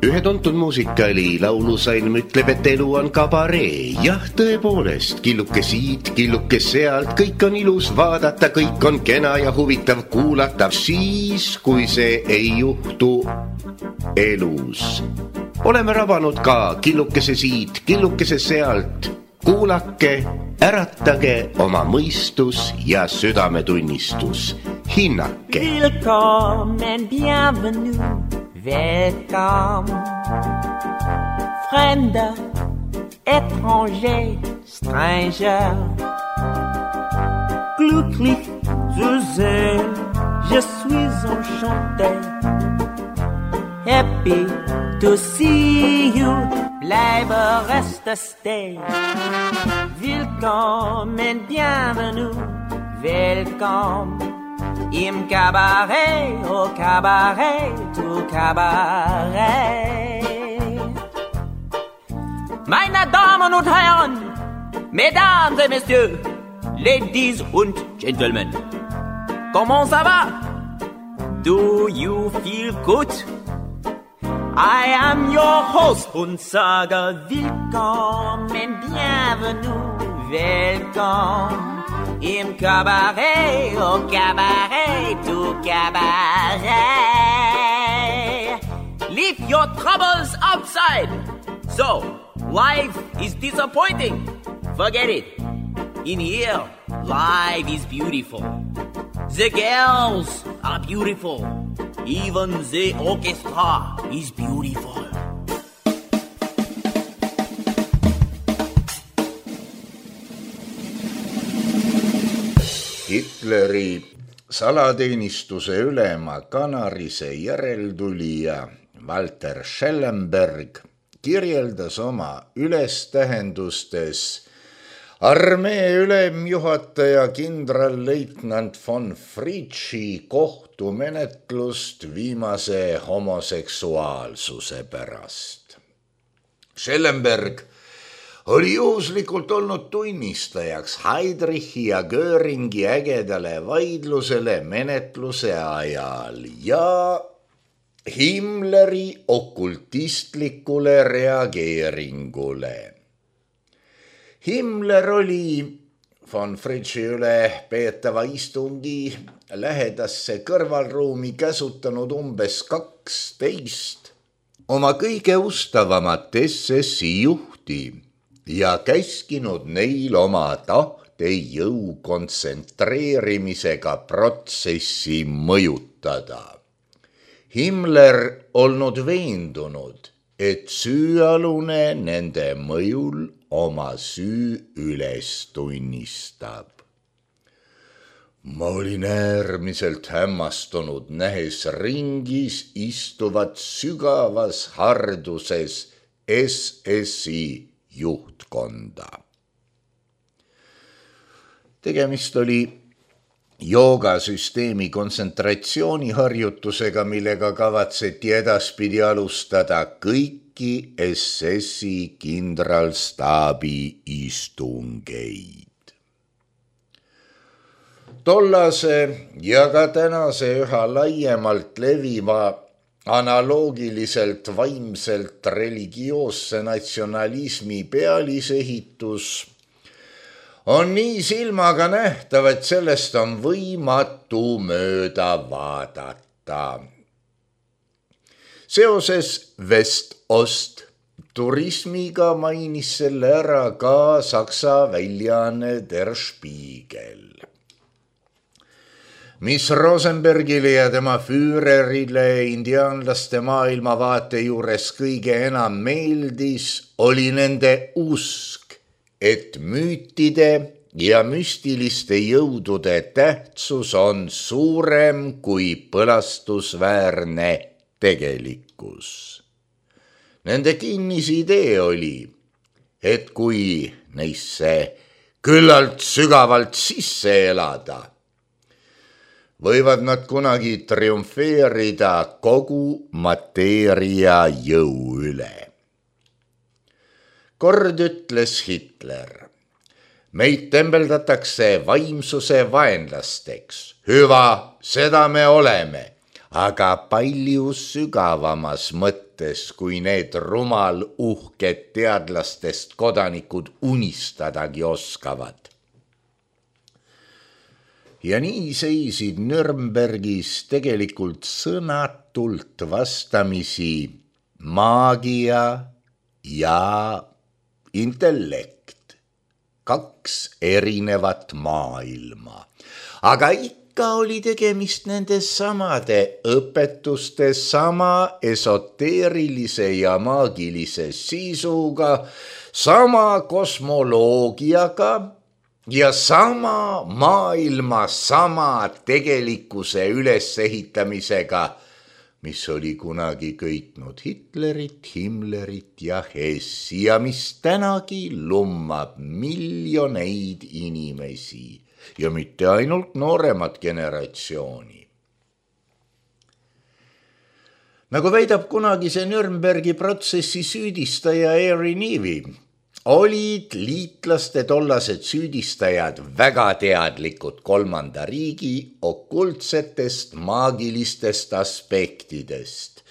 Ühe tuntud muusikali laulusalm ütleb, et elu on kabaree. Jah, tõepoolest, killuke siit, killuke sealt, kõik on ilus vaadata, kõik on kena ja huvitav kuulata. Siis, kui see ei juhtu elus. Oleme rabanud ka killukese siit, killukese sealt. Kuulake, äratage oma mõistus ja südametunnistus. Hinnake. Willkommen, bienvenue. Welcome, Fremder, étranger, stranger. Glücklich zu sehen, je suis enchanté. Happy to see you, bleibe reste stay. Willkommen, bienvenue, welcome. Im Cabaret, au Cabaret, tout Cabaret. Meine Damen und Herren, Mesdames et Messieurs, Ladies und Gentlemen, comment ça va? Do you feel good? I am your host und sage willkommen, bienvenue, welcome. Im Cabaret, au Cabaret, tout Cabaret. Leave your troubles outside. So, life is disappointing. Forget it. In here, life is beautiful. The girls are beautiful. Even the orchestra is beautiful. Hitleri salateenistuse ülema Kanarise järeltulija Walter Schellenberg kirjeldas oma ülestähendustes armee ülemjuhataja kindralleitnant von Fritschi kohtumenetlust viimase homoseksuaalsuse pärast. Schellenberg oli juhuslikult olnud tunnistajaks Heydrichi ja Göringi ägedale vaidlusele menetluse ajal ja Himmleri okultistlikule reageeringule. Himmler oli von Fritschi üle peetava istungi lähedasse kõrvalruumi käsutanud umbes 12 oma kõige ustavamat SS-i juhti ja käskinud neil oma tahtejõu kontsentreerimisega protsessi mõjutada. Himmler olnud veendunud, et süüalune nende mõjul oma süü üles tunnistab. Ma olin äärmiselt hämmastunud, nähes ringis istuvat sügavas harduses SS-i juhtkonda. Tegemist oli joogasüsteemi kontsentratsiooniharjutusega, millega kavatseti edaspidi alustada kõiki SS-i kindralstaabi istungeid. Tollase ja ka tänase üha laiemalt leviva analoogiliselt vaimselt religioosse natsionalismi pealisehitus on nii silmaga nähtav, et sellest on võimatu mööda vaadata. Seoses West-Ost turismiga mainis selle ära ka Saksa väljaanne Der Spiegel, mis Rosenbergile ja tema Führerile indiaanlaste maailmavaate juures kõige enam meeldis, oli nende usk, et müütide ja müstiliste jõudude tähtsus on suurem kui põlastusväärne tegelikkus. Nende kinnisidee oli, et kui neisse küllalt sügavalt sisse elada, võivad nad kunagi triumfeerida kogu mateeria jõu üle. Kord ütles Hitler, meid tembeldatakse vaimsuse vaenlasteks. Hüva, seda me oleme, aga palju sügavamas mõttes, kui need rumal uhked teadlastest kodanikud unistadagi oskavad. Ja nii seisid Nürnbergis tegelikult sõnatult vastamisi maagia ja intellekt, 2 erinevat maailma, aga ikka oli tegemist nende samade õpetuste, sama esoteerilise ja maagilise sisuga, sama kosmoloogiaga ja sama maailma, sama tegelikkuse ülesehitamisega, mis oli kunagi köitnud Hitlerit, Himmlerit ja Hessi ja mis tänagi lummab miljoneid inimesi ja mitte ainult nooremat generatsiooni. Nagu väidab kunagi see Nürnbergi protsessi süüdistaja Harry Nevi, olid liitlaste tollased süüdistajad väga teadlikud 3. riigi okultsetest maagilistest aspektidest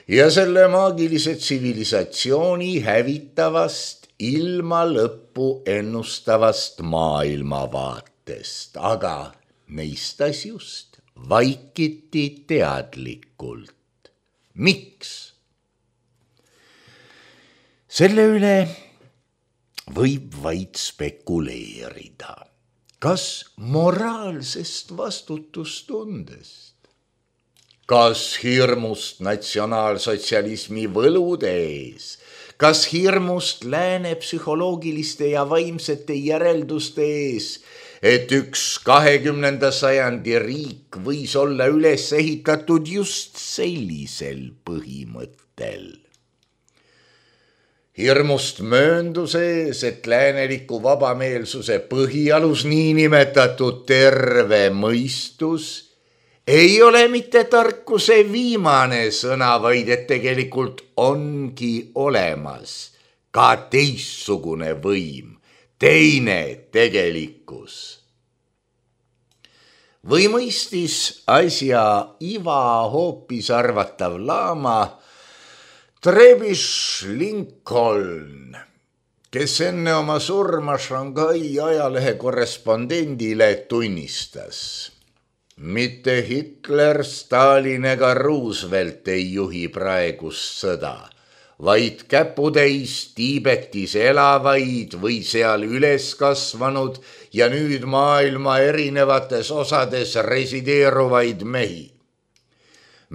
ja selle maagilise tsivilisatsiooni hävitavast ilma lõppu ennustavast maailmavaatest, aga neist asjust vaikiti teadlikult. Miks? Selle üle võib vaid spekuleerida. Kas moraalsest vastutustundest? Kas hirmust natsionaalsotsialismi võlude ees? Kas hirmust lääne psühholoogiliste ja vaimsete järelduste ees, et üks 20. sajandi riik võis olla üles ehitatud just sellisel põhimõttel? Hirmust möönduses, et lääneliku vabameelsuse põhialus niinimetatud terve mõistus ei ole mitte tarkuse viimane sõna, vaid et tegelikult ongi olemas ka teistsugune võim, teine tegelikkus. Või mõistis asja iva hoopis arvatav laama Trevish Lincoln, kes enne oma surma Shanghai ajalehe korrespondendile tunnistas: mitte Hitler, Stalin ega Roosevelt ei juhi praegust sõda, vaid käputäis Tiibetis elavaid või seal üles kasvanud ja nüüd maailma erinevates osades resideeruvaid mehi.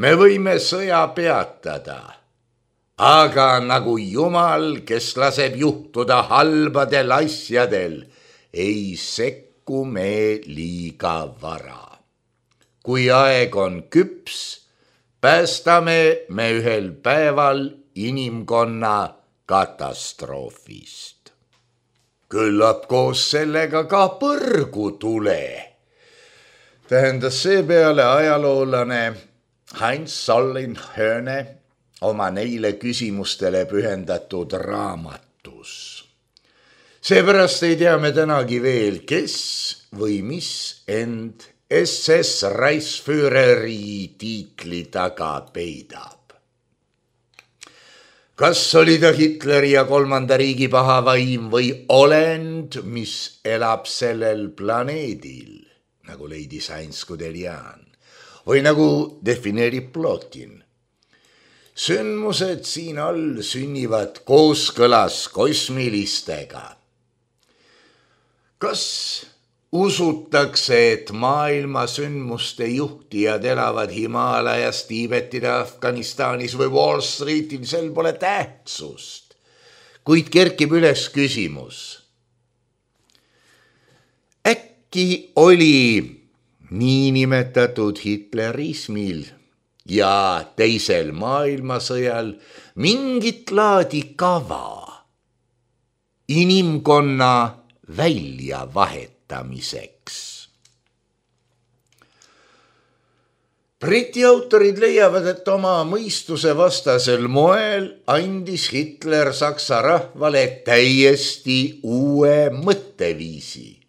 Me võime sõja peatada, aga nagu Jumal, kes laseb juhtuda halbadel asjadel, ei sekku me liiga vara. Kui aeg on küps, päästame me ühel päeval inimkonna katastroofist. Küllap koos sellega ka põrgu tule, tähendas seepeale ajaloolane Heinz Sollenhöne oma neile küsimustele pühendatud raamatus. Seepärast ei tea me tänagi veel, kes või mis end SS Reichsführeri tiitli taga peidab. Kas oli ta Hitleri ja 3. riigi paha vaim või olend, mis elab sellel planeedil, nagu leidis Heinz Guderian, või nagu defineerib Plotin. Sündmused siin all sünnivad kooskõlas kosmilistega. Kas usutakse, et maailma sündmuste juhtijad elavad Himaalajas, Tiibetis, Afganistanis või Wall Streetil, sel pole tähtsust, kuid kerkib üles küsimus. Äkki oli niinimetatud hitlerismil ja teisel maailmasõjal mingit laadi kava inimkonna väljavahetamiseks. Briti autorid leiavad, et oma mõistuse vastasel moel andis Hitler Saksa rahvale täiesti uue mõtteviisi.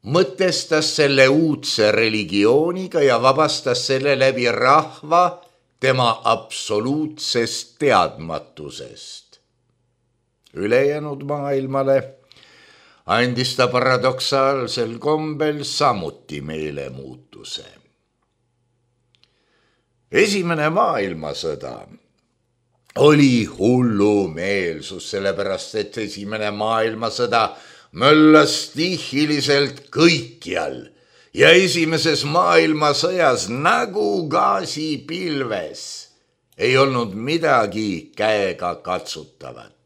mõtestas selle uudse religiooniga ja vabastas selle läbi rahva tema absoluutsest teadmatusest. Ülejäänud maailmale andis ta paradoksaalsel kombel samuti meelemuutuse. Esimene maailmasõda oli hullumeelsus, sellepärast et esimene maailmasõda möllas stihiliselt kõikjal ja esimeses maailmasõjas nagu gaasipilves ei olnud midagi käega katsutavat.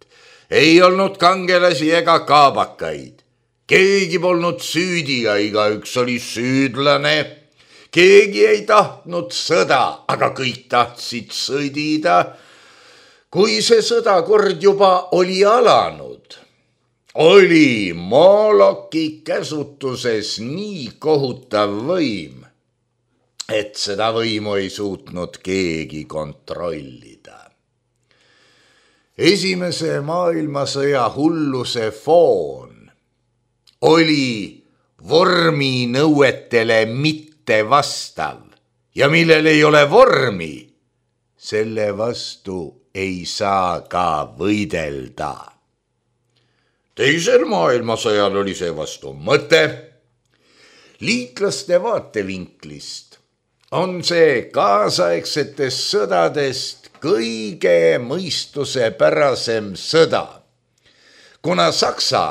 Ei olnud kangelasi ega kaabakaid. Keegi polnud süüdi ja igaüks oli süüdlane. Keegi ei tahtnud sõda, aga kõik tahtsid sõdida. Kui see sõda kord juba oli alanud, oli Moloki käsutuses nii kohutav võim, et seda võimu ei suutnud keegi kontrollida. Esimese maailmasõja hulluse foon oli vorminõuetele mitte vastav ja millel ei ole vormi, selle vastu ei saa ka võidelda. Teisel maailmasõjal oli see vastu mõte. Liitlaste vaatevinklist on see kaasaegsetest sõdadest kõige mõistusepärasem sõda, kuna Saksa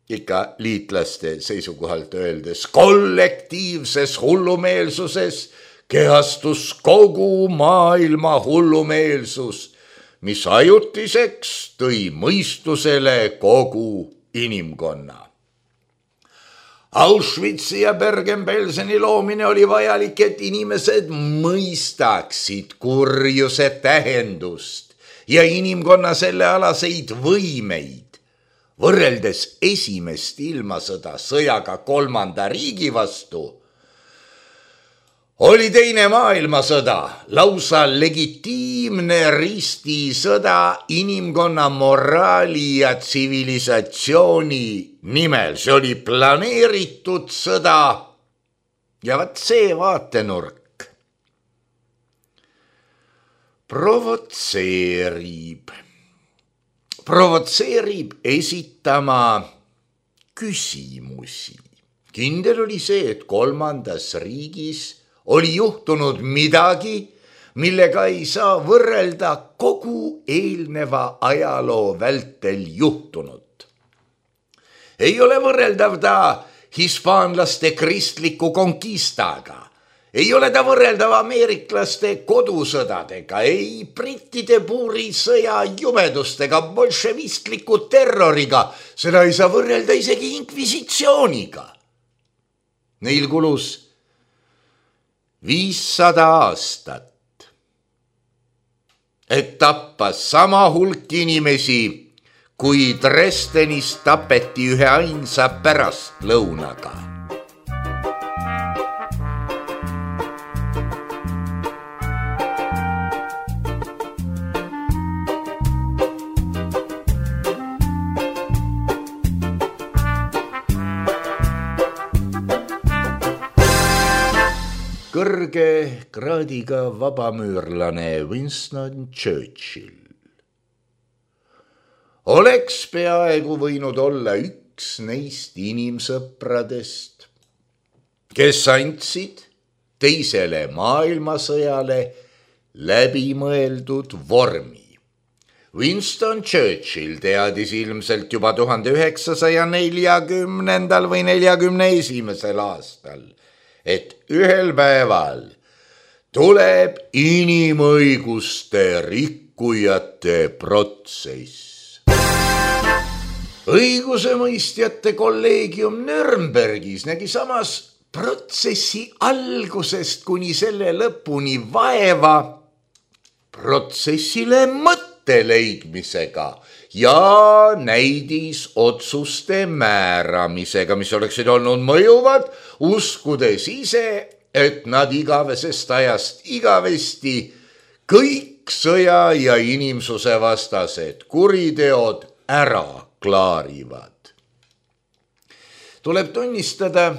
ikka liitlaste seisukohalt öeldes kollektiivses hullumeelsuses kehastus kogu maailma hullumeelsus, mis ajutiseks tõi mõistusele kogu inimkonna. Auschwitzi ja Bergen-Belseni loomine oli vajalik, et inimesed mõistaksid kurjuse tähendust ja inimkonna sellealaseid võimeid. Võrreldes esimest ilmasõda sõjaga kolmanda riigi vastu, oli teine maailmasõda lausa legitiimne ristisõda inimkonna moraali ja tsivilisatsiooni nimel. See oli planeeritud sõda ja vaat see vaatenurk provotseerib esitama küsimusi. Kindel oli see, et kolmandas riigis oli juhtunud midagi, millega ei saa võrrelda kogu eelneva ajaloo vältel juhtunut. Ei ole võrreldav ta hispaanlaste kristliku konkistaga. Ei ole ta võrreldav ameeriklaste kodusõdadega, ei brittide puurisõja jumedustega, bolševistliku terroriga. Seda ei saa võrrelda isegi inkvisitsiooniga. Neil kulus 500 aastat, et tappa sama hulk inimesi, kui Dresdenis tapeti ühe ainsa pärastlõunaga. Kõrge kraadiga vabamüürlane Winston Churchill oleks peaaegu võinud olla üks neist inimsõpradest, kes andsid teisele maailmasõjale läbimõeldud vormi. Winston Churchill teadis ilmselt juba 1940. või 41. aastal, et ühel päeval tuleb inimõiguste rikkujate protsess. Õigusemõistjate kolleegium Nürnbergis nägi samas protsessi algusest kuni selle lõpuni vaeva protsessile mõtte leidmisega ja näidis otsuste määramisega, mis oleksid olnud mõjuvad, uskudes ise, et nad igavesest ajast igavesti kõik sõja ja inimsuse vastased kuriteod ära klaarivad. tuleb tunnistada,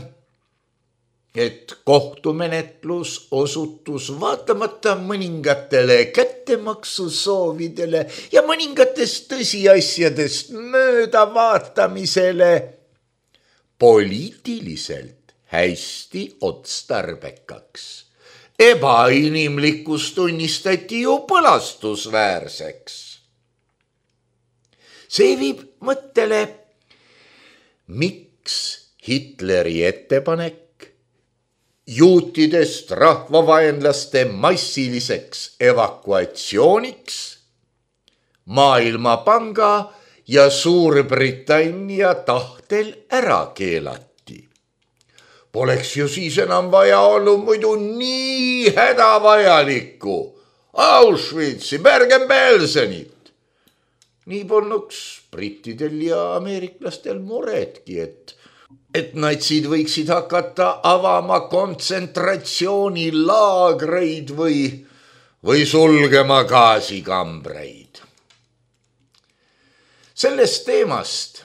et kohtumenetlus osutus vaatamata mõningatele kättemaksusoovidele ja mõningatest tõsiasjadest möödavaatamisele poliitiliselt hästi otstarbekaks. Ebainimlikkus tunnistati ju põlastusväärseks. See viib mõttele, miks Hitleri ettepanek juutidest rahvavaenlaste massiliseks evakuatsiooniks Maailmapanga ja Suurbritannia tahtel ära keelati. Poleks ju siis enam vaja olnud muidu nii hädavajalikku Auschwitzi, Bergen-Belsenit. Nii polnuks brittidel ja ameeriklastel muretki, et natsid võiksid hakata avama kontsentratsioonilaagreid või sulgema gaasikambreid. Sellest teemast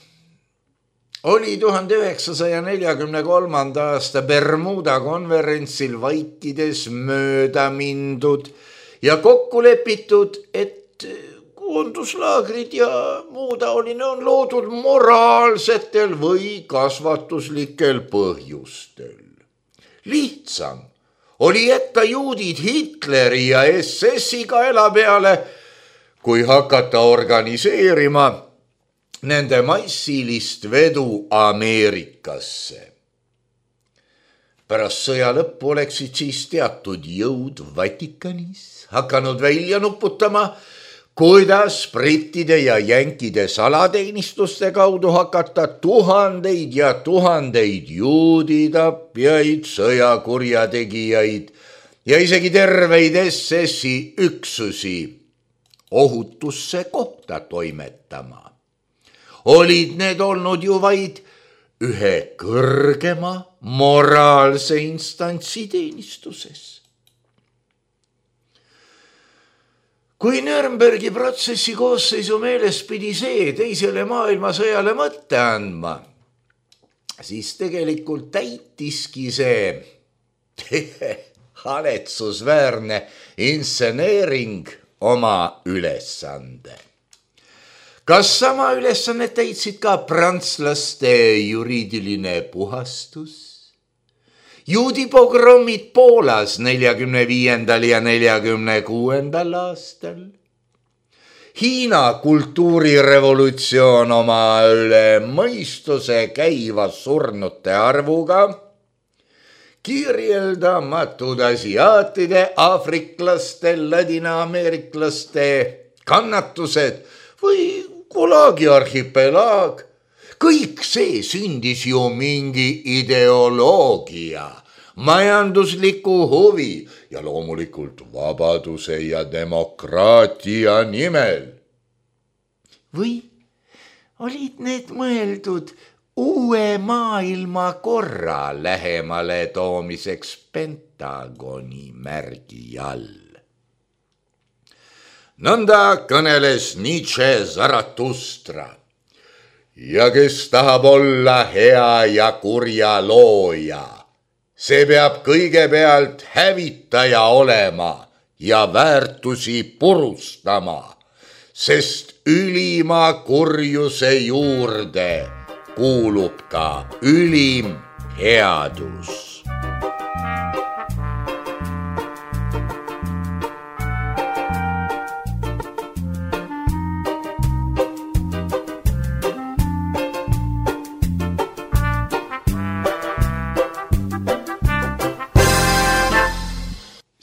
oli 1943. aasta Bermuda konverentsil vaikides mööda mindud ja kokku lepitud, et koonduslaagrid ja muu taoline on loodud moraalsetel või kasvatuslikel põhjustel. Lihtsam oli jätta juudid Hitleri ja SS-i kaela peale, kui hakata organiseerima nende massilist vedu Ameerikasse. Pärast sõja lõppu oleksid siis teatud jõud Vatikanis hakanud välja nuputama, kuidas brittide ja jänkide salateenistuste kaudu hakata tuhandeid ja tuhandeid juuditapjaid, sõjakurjategijaid ja isegi terveid SS-i üksusi ohutusse kohta toimetama. Olid need olnud ju vaid ühe kõrgema moraalse instantsi teenistuses. Kui Nürnbergi protsessi koosseisu meeles pidi see teisele maailmasõjale mõtte andma, siis tegelikult täitiski see haletsusväärne inseneering oma ülesande. Kas sama ülesannet täitsid ka prantslaste juriidiline puhastus? Juudi pogrommid Poolas 45. ja 46. aastal. Hiina kultuurirevolutsioon oma üle mõistuse käiva surnute arvuga. Kirjeldamatud asiaatide, aafriklaste, ladinaameeriklaste kannatused või Gulagi arhipelaag. Kõik see sündis ju mingi ideoloogia, majandusliku huvi ja loomulikult vabaduse ja demokraatia nimel. Või olid need mõeldud uue maailmakorra lähemale toomiseks Pentagoni märgi all? Nõnda kõneles Nietzsche Zarathustra. Ja kes tahab olla hea ja kurja looja, see peab kõigepealt hävitaja olema ja väärtusi purustama, sest ülima kurjuse juurde kuulub ka ülim headus.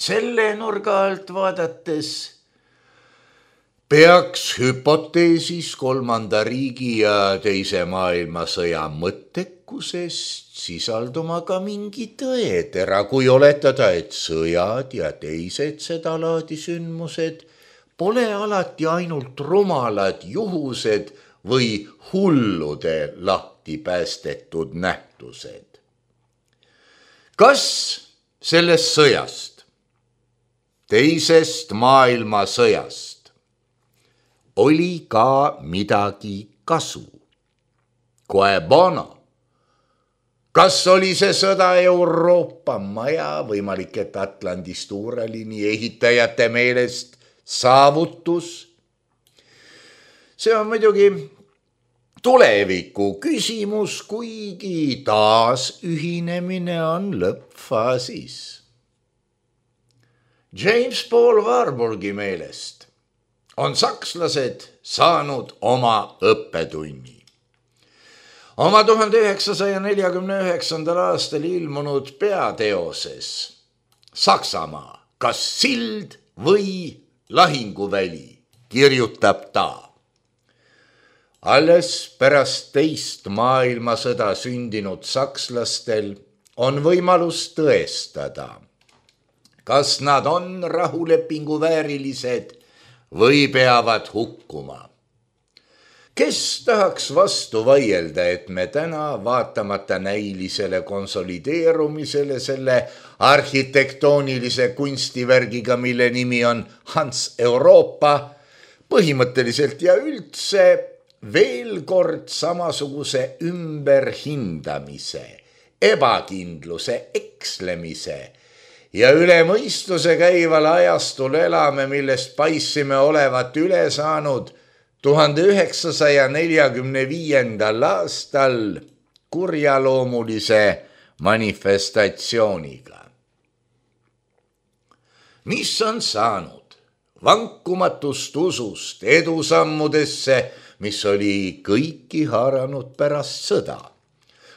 Selle nurga alt vaadates peaks hüpoteesis kolmanda riigi ja teise maailmasõja mõttekusest sisalduma ka mingi tõetera, kui oletada, et sõjad ja teised sedalaadi sündmused pole alati ainult rumalad juhused või hullude lahti päästetud nähtused. Kas sellest sõjast, teisest maailmasõjast, oli ka midagi kasu? Quae bono? Kas oli see sõda Euroopa maja, võimalik, et Atlandis tuureliini ehitajate meelest saavutus? See on muidugi tuleviku küsimus, kuigi taas ühinemine on lõppfaasis. James Paul Warburgi meelest on sakslased saanud oma õppetunni. Oma 1949. aastal ilmunud peateoses Saksamaa, kas sild või lahinguväli, kirjutab ta. Alles pärast teist maailmasõda sündinud sakslastel on võimalus tõestada, kas nad on rahulepingu väärilised või peavad hukkuma. Kes tahaks vastu vaielda, et me täna vaatamata näilisele konsolideerumisele selle arhitektoonilise kunstivärgiga, mille nimi on Hans Euroopa, põhimõtteliselt ja üldse veel kord samasuguse ümberhindamise, ebakindluse, ekslemise ja üle mõistuse käival ajastul elame, millest paissime olevat üle saanud 1945. aastal kurjaloomulise manifestatsiooniga. Mis on saanud vankumatust usust edusammudesse, mis oli kõiki haaranud pärast sõda?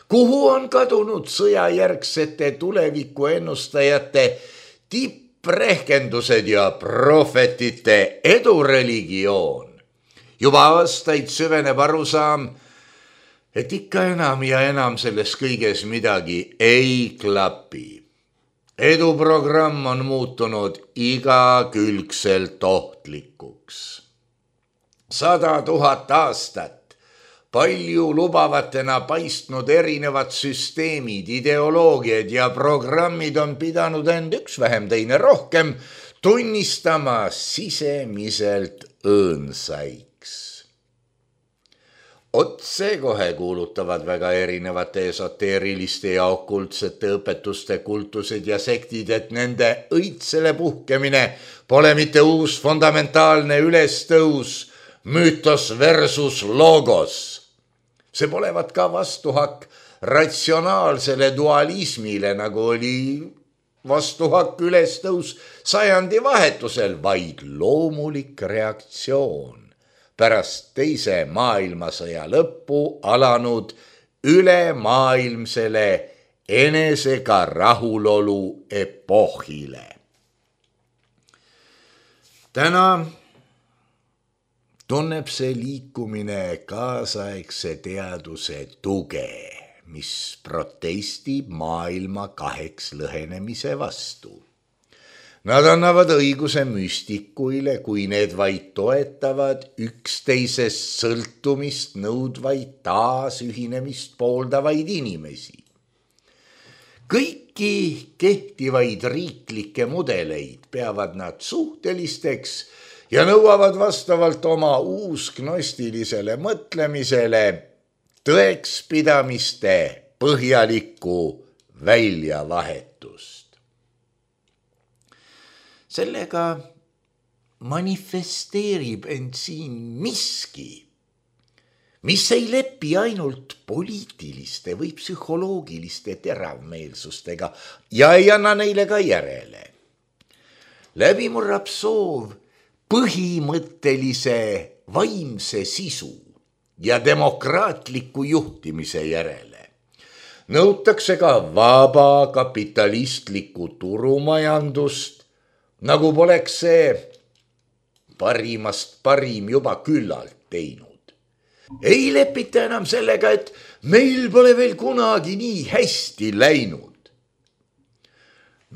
Kuhu on kadunud sõjajärgsete tuleviku ennustajate tipprehkendused ja prohvetite edureligioon? Juba aastaid süveneb arusaam, et ikka enam ja enam selles kõiges midagi ei klapi. Eduprogramm on muutunud igakülgselt ohtlikuks. 100 000 aastat palju lubavatena paistnud erinevad süsteemid, ideoloogiad ja programmid on pidanud end üks vähem teine rohkem tunnistama sisemiselt õõnsaiks. Otsekohe kuulutavad väga erinevate esoteeriliste ja okultsete õpetuste kultused ja sektid, et nende õitsele puhkemine pole mitte uus fundamentaalne ülestõus, müütos versus logos. See polevat ka vastuhakk ratsionaalsele dualismile, nagu oli vastuhakk ülestõus sajandi vahetusel, vaid loomulik reaktsioon pärast teise maailmasõja lõppu alanud ülemaailmsele enesega rahulolu epohile. Täna tunneb see liikumine kaasaegse teaduse tuge, mis protestib maailma kaheks lõhenemise vastu. Nad annavad õiguse müstikuile, kui need vaid toetavad üksteisest sõltumist nõudvaid taasühinemist pooldavaid inimesi. Kõiki kehtivaid riiklikke mudeleid peavad nad suhtelisteks ja nõuavad vastavalt oma uusgnostilisele mõtlemisele tõekspidamiste põhjalikku väljavahetust. Sellega manifesteerib end siin miski, mis ei lepi ainult poliitiliste või psühholoogiliste teravmeelsustega ja ei anna neile ka järele. Läbi murrab soov põhimõttelise vaimse sisu ja demokraatliku juhtimise järele. Nõutakse ka vaba kapitalistlikku turumajandust, nagu poleks see parimast parim juba küllalt teinud. Ei lepita enam sellega, et meil pole veel kunagi nii hästi läinud.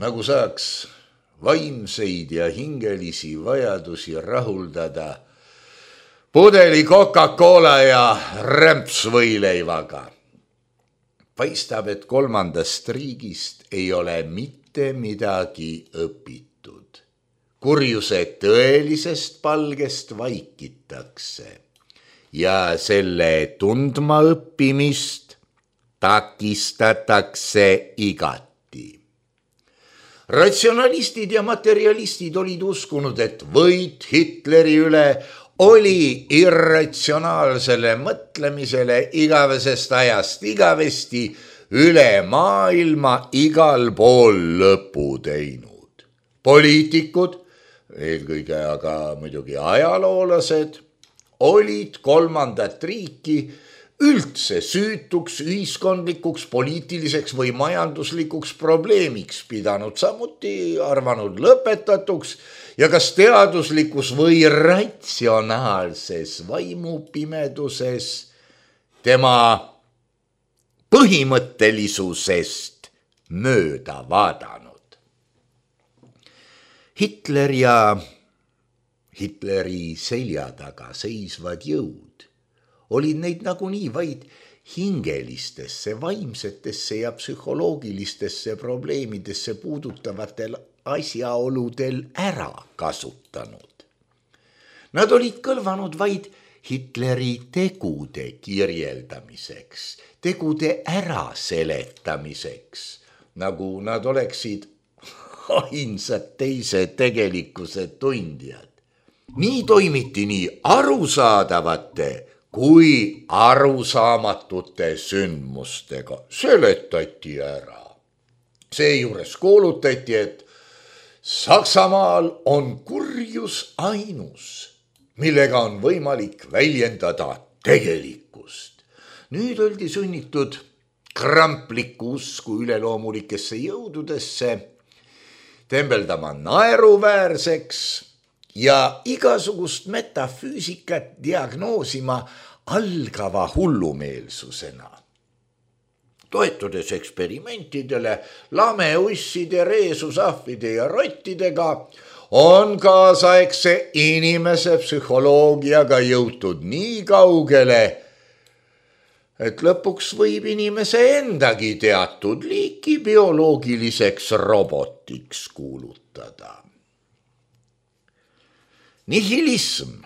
Nagu saaks vaimseid ja hingelisi vajadusi rahuldada pudeli Coca-Cola ja rämpsvõileivaga. Paistab, et kolmandast riigist ei ole mitte midagi õpitud. Kurjuse tõelisest palgest vaikitakse ja selle tundma õppimist takistatakse igati. Ratsionalistid ja materialistid olid uskunud, et võit Hitleri üle oli irratsionaalsele mõtlemisele igavesest ajast igavesti üle maailma igal pool lõpu teinud. Poliitikud, eelkõige aga muidugi ajaloolased, olid kolmandat riiki üldse süütuks ühiskondlikuks, poliitiliseks või majanduslikuks probleemiks pidanud, samuti arvanud lõpetatuks ja kas teaduslikus või ratsionaalses vaimupimeduses tema põhimõttelisusest mööda vaadanud. Hitler ja Hitleri selja taga seisvad jõud olid neid nagunii vaid hingelistesse, vaimsetesse ja psühholoogilistesse probleemidesse puudutavatel asjaoludel ära kasutanud. Nad olid kõlvanud vaid Hitleri tegude kirjeldamiseks, tegude äraseletamiseks, nagu nad oleksid ainsad teise tegelikkuse tundjad. Nii toimiti nii arusaadavate kui arusaamatute sündmustega, seletati ära. Seejuures kuulutati, et Saksamaal on kurjus ainus, millega on võimalik väljendada tegelikkust. Nüüd oldi sunnitud kramplikku usku üleloomulikesse jõududesse tembeldama naeruväärseks ja igasugust metafüüsikat diagnoosima algava hullumeelsusena. Toetudes eksperimentidele lameusside, reesusahvide ja rottidega on kaasaegse inimese psühholoogiaga jõutud nii kaugele, et lõpuks võib inimese endagi teatud liiki bioloogiliseks robotiks kuulutada. Nihilism,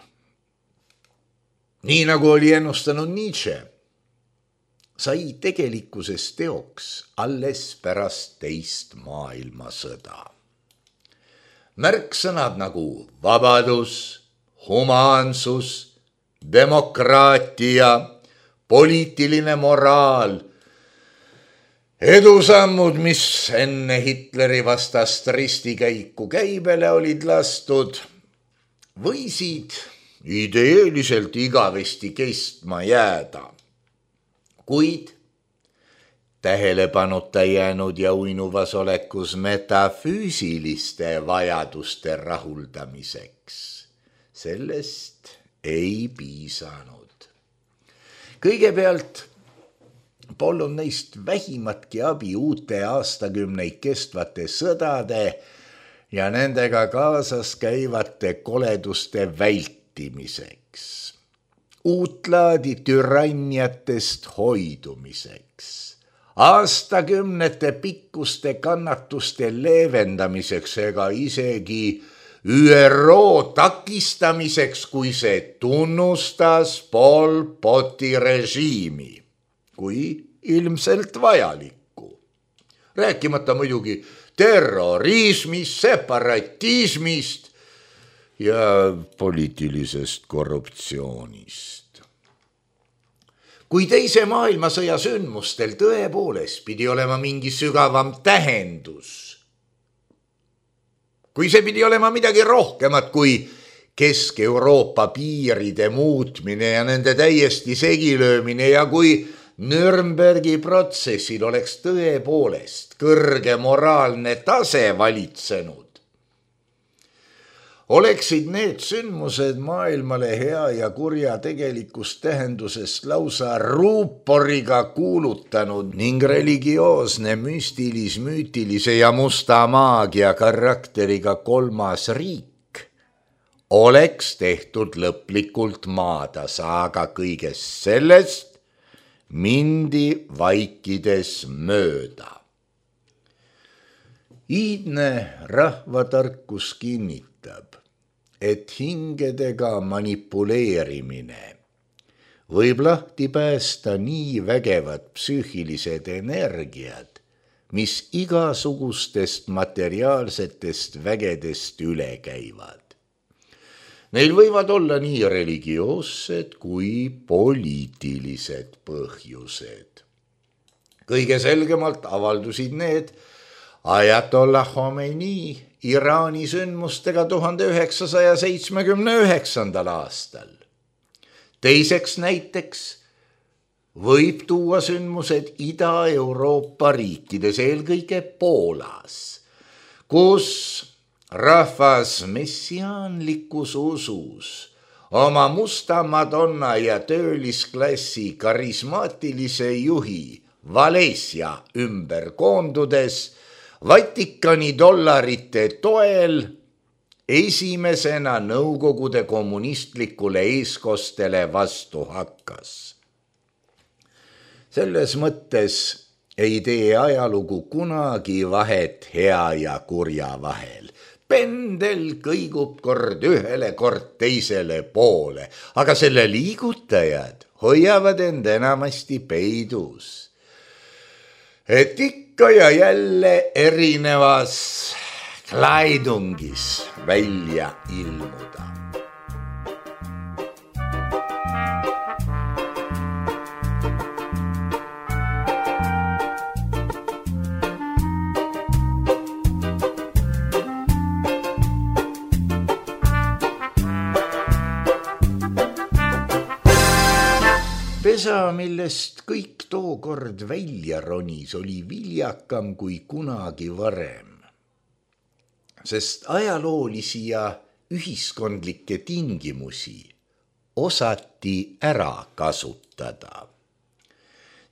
nii nagu oli ennustanud Nietzsche, sai tegelikkuses teoks alles pärast teist maailmasõda. Märksõnad nagu vabadus, humaansus, demokraatia, poliitiline moraal, edusammud, mis enne Hitleri vastast ristikäiku käibele olid lastud, võisid ideeliselt igavesti kestma jääda, kuid tähelepanuta jäänud ja uinuvas olekus metafüüsiliste vajaduste rahuldamiseks sellest ei piisanud. Kõigepealt polnud neist vähimatki abi uute aastakümneid kestvate sõdade ja nendega kaasas käivate koleduste vältimiseks, uutlaadi türanniatest hoidumiseks, aastakümnete pikkuste kannatuste leevendamiseks ega isegi ÜRO takistamiseks, kui see tunnustas Pol Poti režiimi kui ilmselt vajalikku. Rääkimata muidugi terrorismist, separatismist ja poliitilisest korruptsioonist. Kui teise maailmasõja sündmustel tõepoolest pidi olema mingi sügavam tähendus, kui see pidi olema midagi rohkemat kui Kesk-Euroopa piiride muutmine ja nende täiesti segilöömine ja kui Nürnbergi protsessil oleks tõepoolest kõrge moraalne tase valitsenud, oleksid need sündmused maailmale hea ja kurja tegelikust tähendusest lausa ruuporiga kuulutanud ning religioosne, müstilis-müütilise ja musta maagia karakteriga kolmas riik oleks tehtud lõplikult maatasa, aga kõigest sellest mindi vaikides mööda. Iidne rahvatarkus kinnitab, et hingedega manipuleerimine võib lahti päästa nii vägevad psüühilised energiad, mis igasugustest materiaalsetest vägedest üle käivad. Neil võivad olla nii religioossed kui poliitilised põhjused. Kõige selgemalt avaldusid need Ajatollah Khomeini Iraani sündmustega 1979. aastal. Teiseks näiteks võib tuua sündmused Ida-Euroopa riikides, eelkõige Poolas, kus rahvas messiaanlikus usus oma musta madonna ja töölisklassi karismaatilise juhi Valesia ümber koondudes Vatikani dollarite toel esimesena Nõukogude kommunistlikule eeskostele vastu hakkas. Selles mõttes ei tee ajalugu kunagi vahet hea ja kurja vahel. Pendel kõigub kord ühele, kord teisele poole, aga selle liigutajad hoiavad end enamasti peidus. Et ikka ja jälle erinevas klaidungis välja ilmuda. Pesa, millest kõik tookord välja ronis, oli viljakam kui kunagi varem, sest ajaloolisi ja ühiskondlikke tingimusi osati ära kasutada.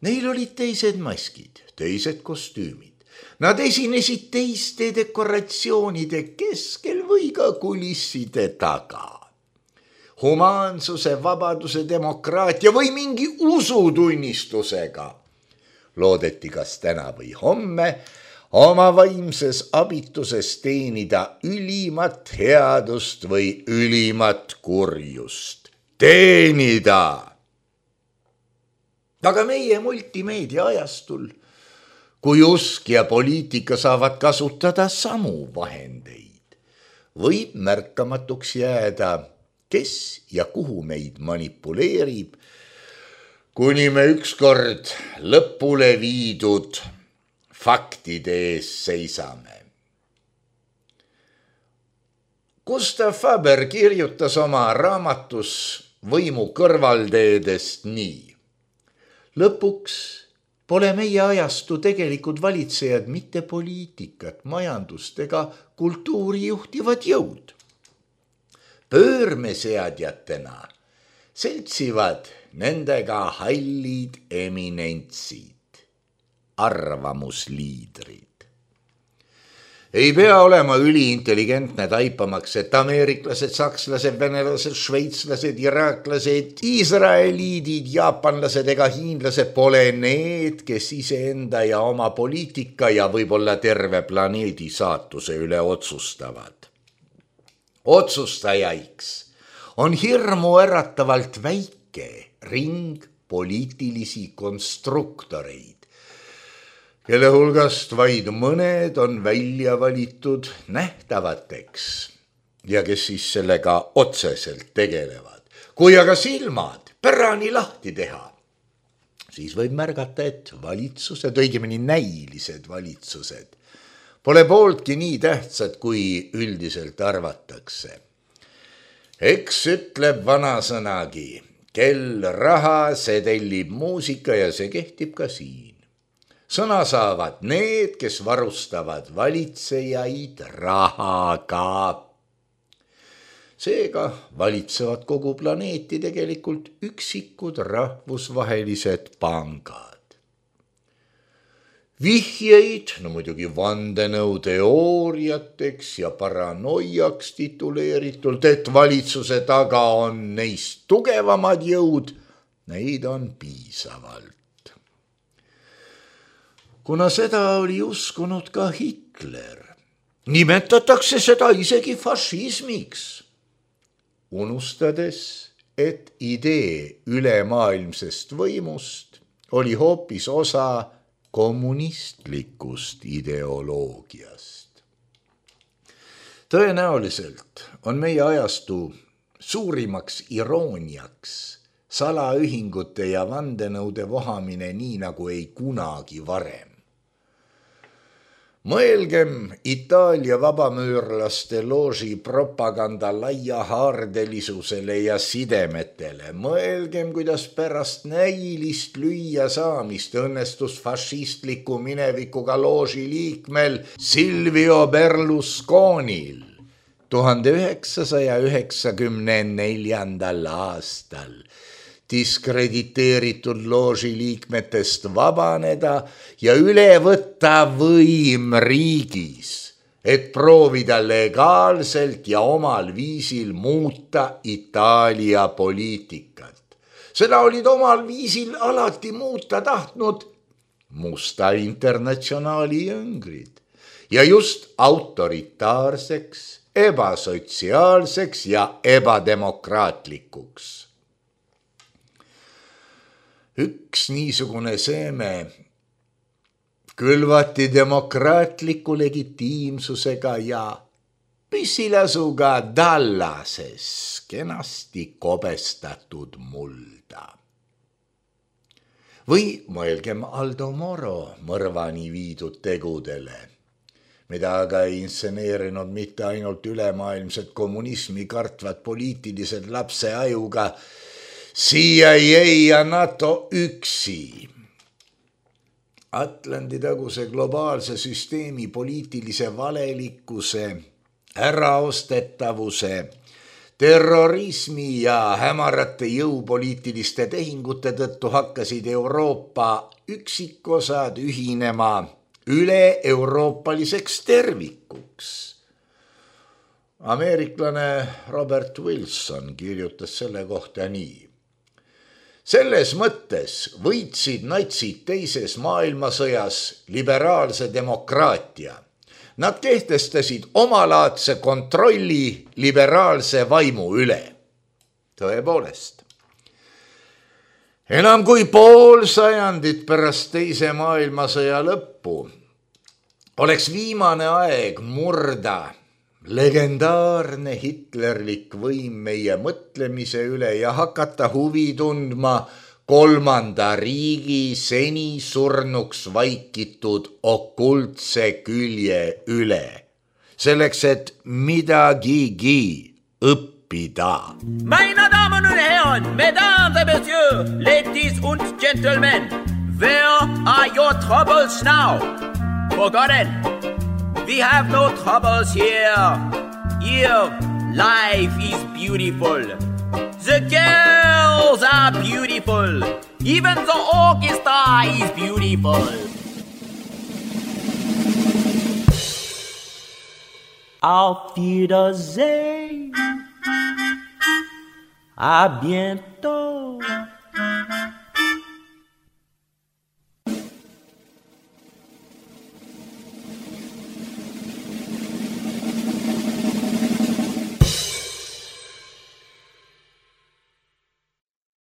Neil olid teised maskid, teised kostüümid. Nad esinesid teiste dekoratsioonide keskel või ka kulisside taga. Humaansuse, vabaduse, demokraatia või mingi usutunnistusega loodeti kas täna või homme oma vaimses abituses teenida ülimat headust või ülimat kurjust. Teenida! Aga meie multimeedia ajastul, kui usk ja poliitika saavad kasutada samu vahendeid, võib märkamatuks jääda, kes ja kuhu meid manipuleerib, kuni me ükskord lõpule viidud faktide ees seisame. Gustav Faber kirjutas oma raamatus Võimu kõrvalteedest nii. Lõpuks pole meie ajastu tegelikud valitsejad mitte poliitikat, majandust ega kultuuri juhtivad jõud. Pöörmeseadjatena seltsivad nendega hallid eminentsid, arvamusliidrid. Ei pea olema üliintelligentne taipamaks, et ameeriklased, sakslased, venelased, šveitslased, iraaklased, iisraeliidid, jaapanlased ega hiinlased pole need, kes iseenda ja oma poliitika ja võib-olla terve planeedi saatuse üle otsustavad. Otsustajaiks on hirmu äratavalt väike ring poliitilisi konstruktoreid, kelle hulgast vaid mõned on välja valitud nähtavateks ja kes siis sellega otseselt tegelevad. Kui aga silmad pärani lahti teha, siis võib märgata, et valitsused, õigemini näilised valitsused, pole pooltki nii tähtsad, kui üldiselt arvatakse. Eks ütleb vanasõnagi, kel raha, see tellib muusika ja see kehtib ka siin. Sõna saavad need, kes varustavad valitsejaid rahaga. Seega valitsevad kogu planeeti tegelikult üksikud rahvusvahelised pangad. Vihjeid, no muidugi vandenõuteooriateks ja paranoiaks tituleeritult, et valitsuse taga on neist tugevamad jõud, neid on piisavalt. Kuna seda oli uskunud ka Hitler, nimetatakse seda isegi fašismiks, unustades, et idee ülemaailmsest võimust oli hoopis osa kommunistlikust ideoloogiast. Tõenäoliselt on meie ajastu suurimaks irooniaks salaühingute ja vandenõude vohamine nii nagu ei kunagi varem. Mõelgem Itaalia vabamüürlaste looži propaganda laiahaardelisusele ja sidemetele. Mõelgem, kuidas pärast näilist lüüa saamist õnnestus fašistliku minevikuga looži liikmel Silvio Berlusconil 1994. aastal diskrediteeritud looži liikmetest vabaneda ja üle võtta võim riigis, et proovida legaalselt ja omal viisil muuta Itaalia poliitikat. Seda olid omal viisil alati muuta tahtnud Musta Internatsionaali jüngrid ja just autoritaarseks, ebasotsiaalseks ja ebademokraatlikuks. Üks niisugune seeme külvati demokraatliku legitiimsusega ja püsilasuga Dallases kenasti kobestatud mulda. Või mõelgem Aldo Moro mõrvani viidud tegudele, mida aga ei inseneerinud mitte ainult ülemaailmset kommunismi kartvad poliitilised lapse ajuga CIA ja NATO üksi. Atlandi-taguse globaalse süsteemi poliitilise valelikkuse, äraostetavuse, terrorismi ja hämarate jõupoliitiliste tehingute tõttu hakkasid Euroopa üksikosad ühinema üle-euroopaliseks tervikuks. Ameeriklane Robert Wilson kirjutas selle kohta nii. Selles mõttes võitsid natsid teises maailmasõjas liberaalse demokraatia. Nad kehtestasid omalaadse kontrolli liberaalse vaimu üle. Tõepoolest. Enam kui pool sajandit pärast teise maailmasõja lõppu oleks viimane aeg murda legendaarne hitlerlik võim meie mõtlemise üle ja hakata huvi tundma kolmanda riigi seni surnuks vaikitud okultse külje üle. Selleks, et midagigi õppida. Meine Damen und Herren, Mesdames et Messieurs, Ladies und Gentlemen, where are your troubles now? Forgotten. We have no troubles here. Here, life is beautiful. The girls are beautiful. Even the orchestra is beautiful. Auf Wiedersehen. À bientôt.